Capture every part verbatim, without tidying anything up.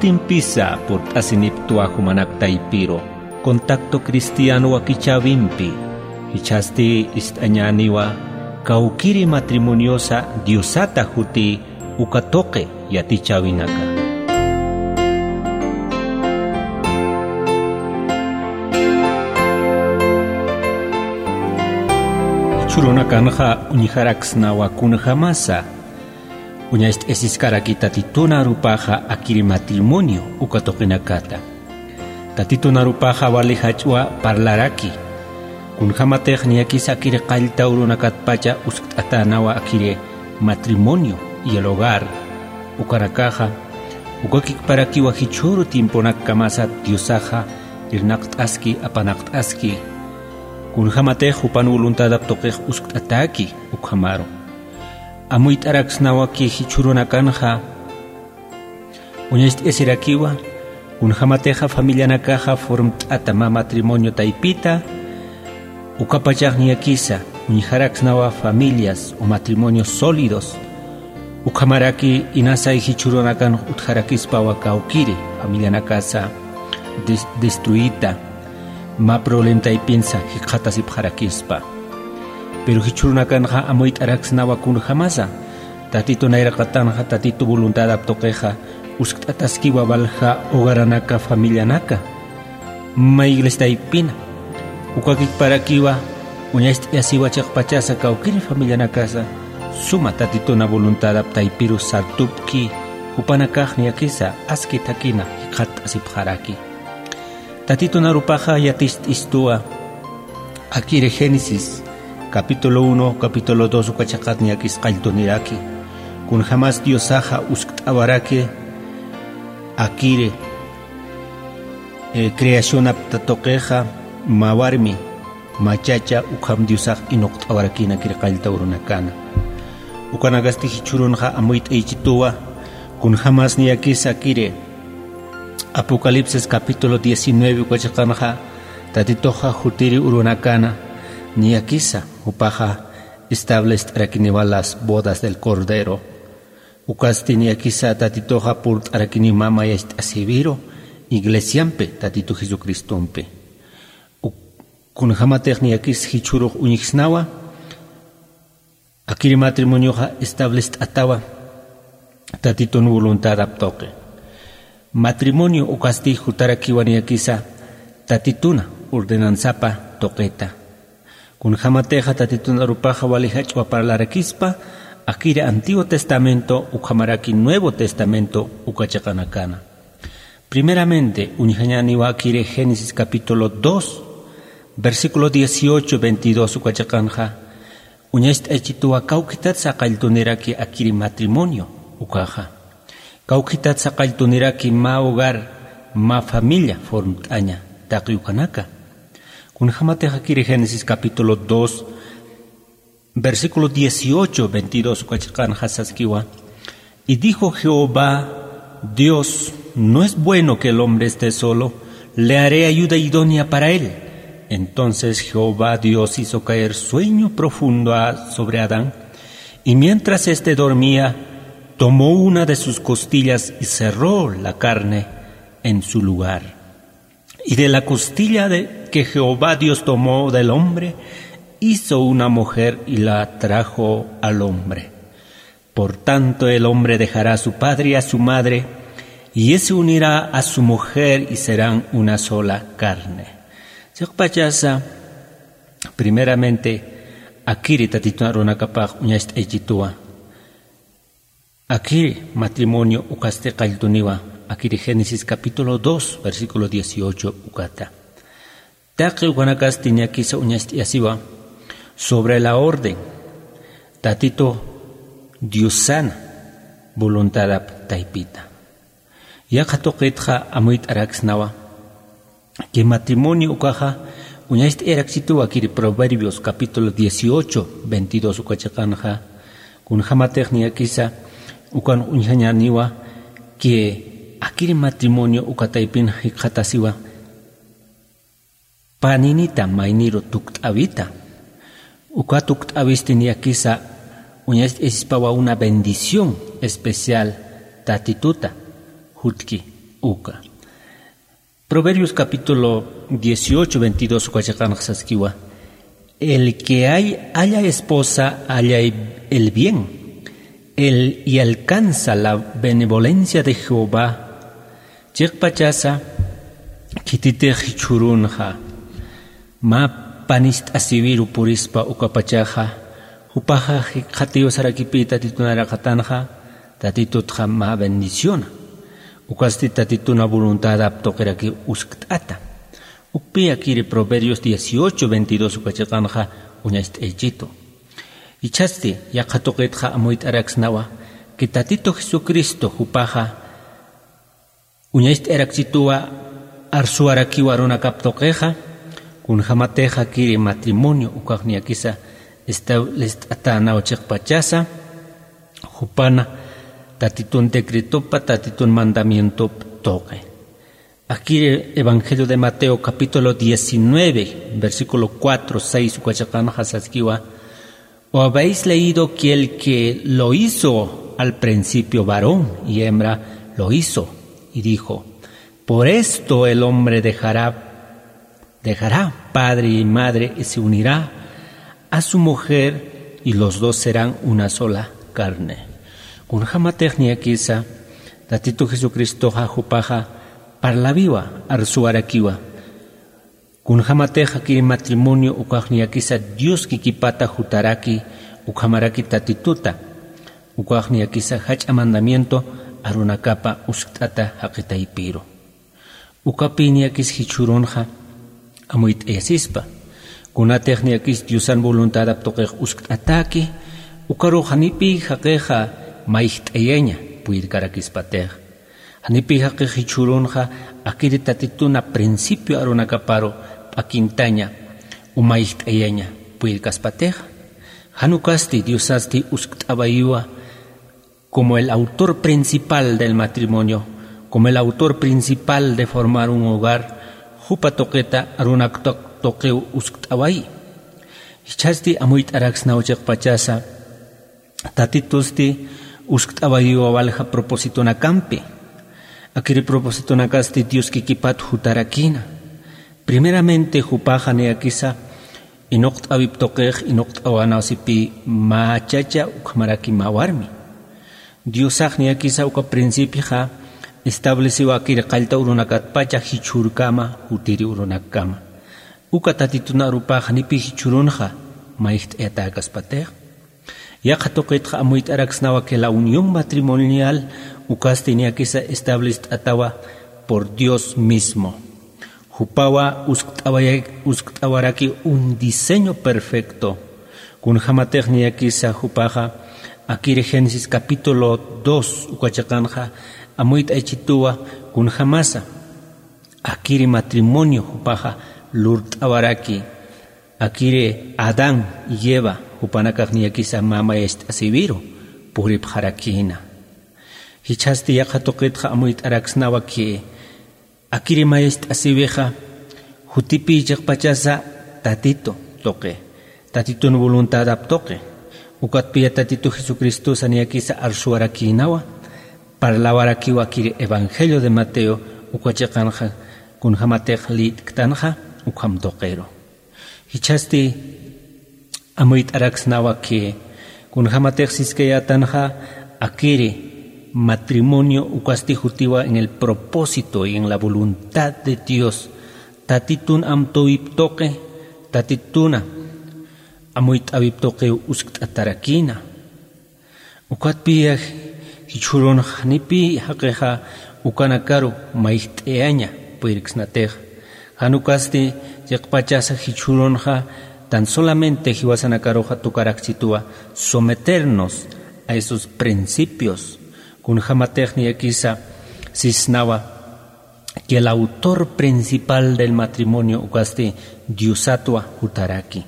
Impisa purt'asinipktwa jumanak taypiru, Contacto Cristiano wakichäwimpi. Jichhasti ist'añäniwa kawkiri matrimoniosa Diosata juti uka tuqi yatichäwinaka. Jichhürunakanxa uñjaraksnawa kunjamasa uñacht'asiskarakï Tatitun arupaxa akiri matrimonio uka tuqinakata. Tatitun arupaxa wali jach'wa parlaraki. Kunjamatix niyakisa akiri qallta urunakatpacha uskt'atänawa akiri matrimonio y el hogar. Ukanakaxa, ukakikparakiwa jichhüru tiemponakkamasat Diosaxa irnaqt'aski, apanaqt'aski. Kunjamatix jupan voluntadap tuqix uskt'atäki, ukhamaru. Amuyt'araksnawaki jichhürunakanxa, uñacht'asirakiwa, kunjamatixa familianakaxa formt'ata mä matrimonio taypita, ukapachax niyakisa uñjaraksnawa familias o matrimonios sólidos, ukhamaraki inasay jichhürunakan utjarakispawa kawkiri familianakasa des-, destruita, mä problema taypinsa jikxatasipxarakispa. Pero jichhürunakanxa amuyt'araksnawa kunjamasa, Tatitu nayraqatanxa, Tatitu voluntadap tuqixa, uskt'ataskiwa walja hogaranaka, familianaka. Mä iglesia taypina, ukakikparakiwa, uñacht'asiwa chiqpachasa kawkiri familianakasa, suma Tatituna voluntadap taypiru sartupki, jupanakax niyakisa aski thakina jikxatasipxaraki. Tatitun arupaxa yaticht'istuwa, akiri Génesis, capítulo uno, capítulo dos uka chiqat niyakis qalltuniraki. Kunjamas Diosaxa uskt'awaraki, akiri, eh, creacionap tuqixa, mä warmi, mä chacha, ukham Diosax inuqt'awarakïna akiri qallta urunakana. Ukanakasti jichhürunxa amuyt'ayichituwa, kunjamas niyakisa akiri, Apocalipsis capítulo diecinueve uka chiqanxa, Tatituxa jutiri urunakana, niyakisa, jupaxa establest'arakiniwa las bodas del Cordero. Ukasti niyakisa Tatituxa purt'arakiniwa mä yacht'asiwiru, iglesiampi, Tatitu Jesucristompi. Uk-, kunjamatix niyakis jichhürux uñjsnawa, akiri matrimonioxa establest'atawa Tatitun voluntadap tuqi. Matrimonio ukasti jutarakiwa niyakisa Tatituna ordenansapa tuqita. Kunjamatixa Tatitun arupaxa wali jach'wa parlarakispa, akiri Antiguo Testamento ukhamaraki Nuevo Testamento uka chiqanakana. Primeramente, uñjañäniwa akiri Génesis capítulo dos, versículo dieciocho, veintidós uka chiqanxa, uñacht'ayichituwa kawkhitatsa qalltuniraki akiri matrimonio ukaxa. Kawkhitatsa qalltuniraki mä hogar, mä familia formt'aña taqi ukanaka. Kunjamatix akiri Génesis capítulo dos, versículo dieciocho, veintidós uka chiqanxa saskiwa. Y dijo Jehová Dios: "No es bueno que el hombre esté solo, le haré ayuda idónea para él". Entonces Jehová Dios hizo caer sueño profundo a, sobre Adán, y mientras éste dormía, tomó una de sus costillas y cerró la carne en su lugar. Y de la costilla de que Jehová Dios tomó del hombre, hizo una mujer y la trajo al hombre. Por tanto, el hombre dejará a su padre y a su madre, y se unirá a su mujer, y serán una sola carne. Chiqpachasa, primeramente, akiri Tatitun arunakapax uñacht'ayichituwa. Akiri matrimonio ukasti qalltuniwa, akiri Génesis capítulo dos, versículo dieciocho ukata. Taqi ukanakasti niyakisa uñacht'ayasiwa sobre la orden, Tatitu Diosana voluntadap taypita. Yaqha tuqitxa amuyt'araksnawa, que matrimonio ukaxa uñacht'ayarakchituwa akiri Proverbios capítulo dieciocho, veintidós uka chiqanxa, kunjamatix niyakisa ukan uñjañäniwa que akiri matrimonio uka taypin jikxatasiwa paninita mayniru tukt'awita. Uka tukt'awisti niyakisa uñacht'ayasispawa una bendición especial Tatituta jutki. Uka. Proverbios capítulo dieciocho veintidós uka chiqanxa saskiwa: "El que hay, halla esposa, halla el bien, el, y alcanza la benevolencia de Jehová". Chiqpachasa, khititix jichhurunxa mä panist'asiwiru purispa ukapachaxa, jupaxa jikxatiw sarakipï Tatitun araqatanxa, Tatitutxa mä bendiciona. Ukasti Tatituna voluntadap tuqiraki uskt'ata. Ukpï akiri Proverbios dieciocho veintidós uka chiqanxa uñacht'aychitu. Jichhasti yaqha tuqitxa amuyt'araksnawa que Tatito Jesucristo jupaxa uñacht'ayarakchituwa arsuwarakiwa arunakap tuqixa, kunjämatix akiri matrimonio ukax niyakisa establest'atänaw chiqpachasa, jupana Tatitun decretopa, Tatitun mandamientop tuqi. Akiri Evangelio de Mateo capítulo diecinueve, versículo cuatro, seis uka chiqanxa saskiwa: "¿O habéis leído que el que lo hizo al principio varón y hembra lo hizo? Y dijo: Por esto el hombre dejará, dejará padre y madre y se unirá a su mujer, y los dos serán una sola carne". Kunjämatix niyakisa Tatito Jesucristoxa jupaxa parlawiwa, arsuwarakiwa. Kunjämatix akiri matrimonio ukax niyakisa Dios kikipata jutaraki, ukhamaraki Tatituta, ukax niyakisa jach'a mandamiento arunakapa uskt'ata jaqi taypiru. Ukapï niyakis jichhürunxa amuyt'ayasispa. Kunatix niyakis Diosan voluntadap tuqix uskt'atäki, ukarux janipï jaqixa mayjt'ayaña puyirkarakispatix. Janipï jaqix jichhürunxa akiri Tatituna principio arunakaparu p'akintaña o mayjt'ayaña puyirkaspatixa. Jan ukasti Diosasti uskt'awayiwa como el autor principal del matrimonio, como el autor principal de formar un hogar, jupa tuqita arunak tuq-, tuqiw uskt'awayi. Jichhasti amuyt'araksnaw chiqpachasa, Tatitusti uskt'awayiwa walja propositonakampi. Akiri propósitonakasti Dios kikipat jutarakïna. Primeramente, jupaxa niyakisa inuqt'awip tuqix, inuqt'awanasipï mä chacha ukhamaraki mä warmi. Diosax niyakisa uka principioxa estableciwa akiri qallta urunakatpacha jichhürkama, jutiri urunakkama. Uka Tatitun arupax janipï jichhürunxa mayjt'ayatäkaspatix. Yaqha tuqitxa amuyt'araksnawa que la unión matrimonial ukasti niyakisa establest'atawa por Dios mismo. Jupawa uskt'awaya-, uskt'awaraki un diseño perfecto. Kunjämatix niyakisa jupaxa akiri Génesis capítulo dos uka chiqanxa amuyt'aychituwa kunjämasa akiri matrimonio jupaxa lurt'awaraki. Akiri Adán y Eva jupanakax niyakisa mä mayacht'asiwiru puripxarakïna. Jichhasti yaqha tuqitxa amuyt'araksnawa que akiri mayacht'asiwixa jutipï chiqpachasa Tatito tuqi, Tatitun voluntadap tuqi. Ukatpï Tatito Jesucristosa niyakisa arsuwarakïnawa, parlawarakiwa akiri Evangelio de Mateo uka chiqanxa kunjämatix lït'ktanxa ukham tuqiru. Jichhasti amuyt'araksnawa que kunjämatix siskayätanxa akiri matrimonio ukasti jutiwa en el propósito y en la voluntad de Dios. Tatitun amtawip tuqi, Tatituna amuyt'awip tuqiw uskt'atarakïna. Ukatpï jichhürunxa janipï jaqixa ukanakaru mayjt'ayaña puyirksnatix. Jan ukasti chiqpachasa jichhürunxa tan solamente jiwasanakaruxa tukarakchituwa someternos a esos principios. Kunjämatix niyakisa sisnawa que el autor principal del matrimonio ukasti Diosatwa jutaraki.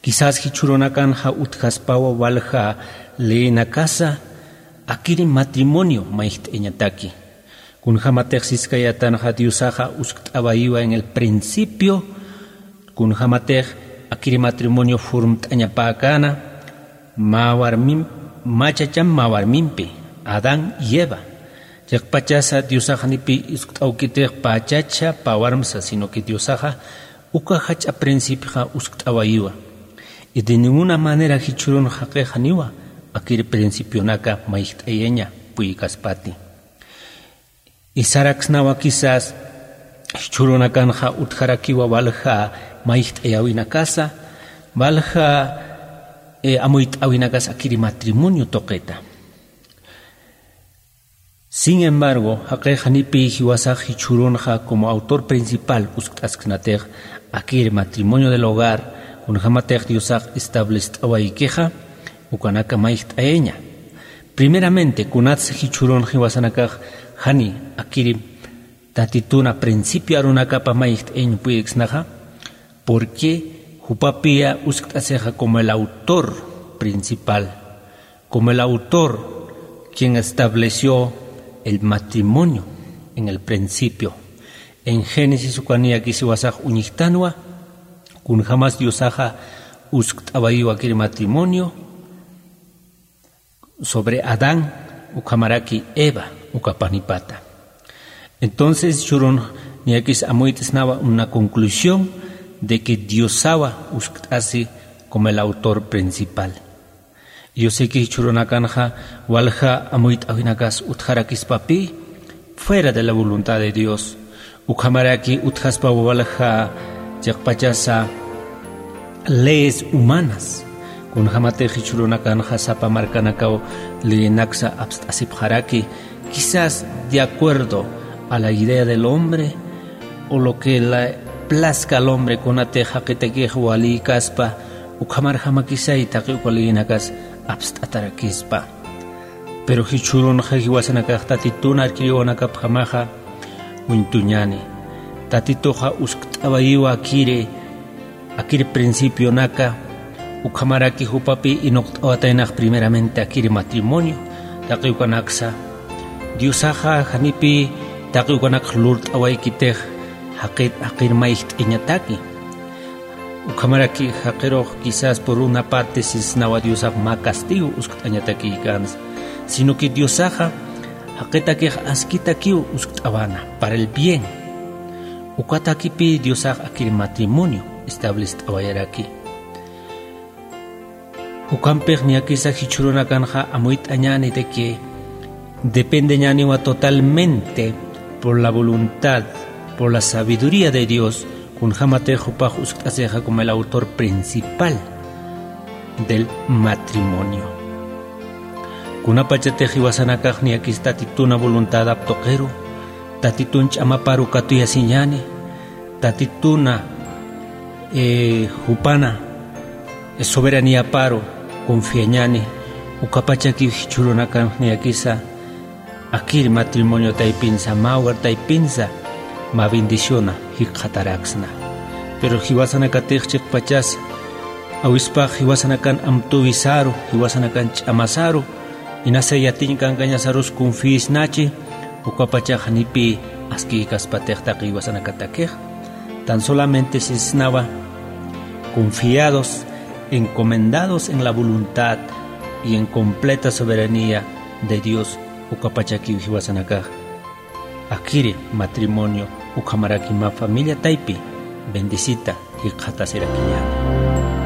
Quizás jichhürunakanxa utjaspawa walja leyinakasa akiri matrimonio mayjt'ayañataki. Kunjämatix siskayätanxa Diosaxa uskt'awayiwa en el principio, kunjämatix akiri matrimonio formt'añapäkäna mä warmim, mä chacham mä warmimpi, Adán y Eva. Chiqpachasa Diosax janipi uskt'awkitix pä chacha, pä warmsa, sino que Diosaxa uka jach'a principioxa uskt'awayiwa. Y de ninguna manera jichhürun jaqix janiwa akir principionaka mayjt'ayaña puykaspati. Y saraksnawa quizás jichhürunakanxa utjarakiwa walja mayjt'ayäwinakasa, walja, eh, amuyt'äwinakasa akir matrimonio tuqita. Sin embargo, jaqix janipi jiwasax jichhürunxa como autor principal uskt'asksnatix akir matrimonio del hogar, kunjämatix Diosax establest'awaykixa, ukanaka mayjt'ayaña. Primeramente, kunatsa jichhürun jiwasanakax jani akir Tatituna principio arunakapa mayjt'ayañ puyksnaxa, porque jupapiya uskt'asixa como el autor principal, como el autor quien estableció el matrimonio en el principio. En Génesis uka niyakis jiwasax uñjtanwa, kunjämas Diosaxa uskt'awayiwa akir matrimonio sobre Adán, ukhamaraki Eva, uka panipata. Entonces, jichhürun niyakis amuyt'snawa una conclusión de que Diosawa uskt'asi como el autor principal. Yo sé que jichhürunakanxa walja amuyt'äwinakas utjarakispapi, fuera de la voluntad de Dios. Ukhamaraki utjaspawa walja chiqpachasa leyes humanas. Kunjämatix jichhürunakanxa sapa markanakaw leyinaksa apst'asipxaraki, quizás de acuerdo a la idea del hombre o lo que le plazca al hombre, kunatix jaqitakix walïkaspa, ukhamarjamakisay taqi uka leyinakas apst'atarakispa. Pero jichhürunxa jiwasanakax Tatitun arkiriwanakapjamaxa uñtuñäni. Tatituxa uskt'awayiwa akiri, akiri principionaka, ukhamaraki jupapi inuqt'awataynax primeramente akiri matrimonio, taqi ukanaksa. Diosaxa janipi taqi ukanakx lurt'awaykitix jaqit, jaqir mayjt'ayañataki. Ukhamaraki jaqirux quizás por una parte sisnawa Diosax mä castigo uskt'añatakïkänsa, sino que Diosaxa jaqitakix askitakiw uskt'awana para el bien. Ukatakipï Diosax akir matrimonio establest'awayaraki. Ukampix niyakisa jichhürunakanxa amuyt'añäni de que dependeñäniwa totalmente por la voluntad, por la sabiduría de Dios, kunjämatix jupax uskt'asixa como el autor principal del matrimonio. Kunapachatix jiwasanakax niyakis Tatituna voluntadap tuqiru, Tatitun ch'amaparu katuyasiñäni, Tatituna, eh, jupana, eh, soberaniaparu confiañäni, ukapachakiw jichhürunakanx niyakisa akir matrimonio taypinsa, mä hogar taypinsa, mä bendiciona jikxataraksna. Pero jiwasanakatix chiqpachas awispax jiwasanakan amtuwisaru, jiwasanakan ch'amasaru, inasa yatiñ kankañasarus confiisnachi, ukapachax janipï askïkaspatix taqi jiwasanakatakix. Tan solamente sisnawa confiados, encomendados en la voluntad y en completa soberanía de Dios, ukapachakiw jiwasanakax akiri matrimonio ukhamaraki mä familia taypi bendecita jikxatasirakiñäni.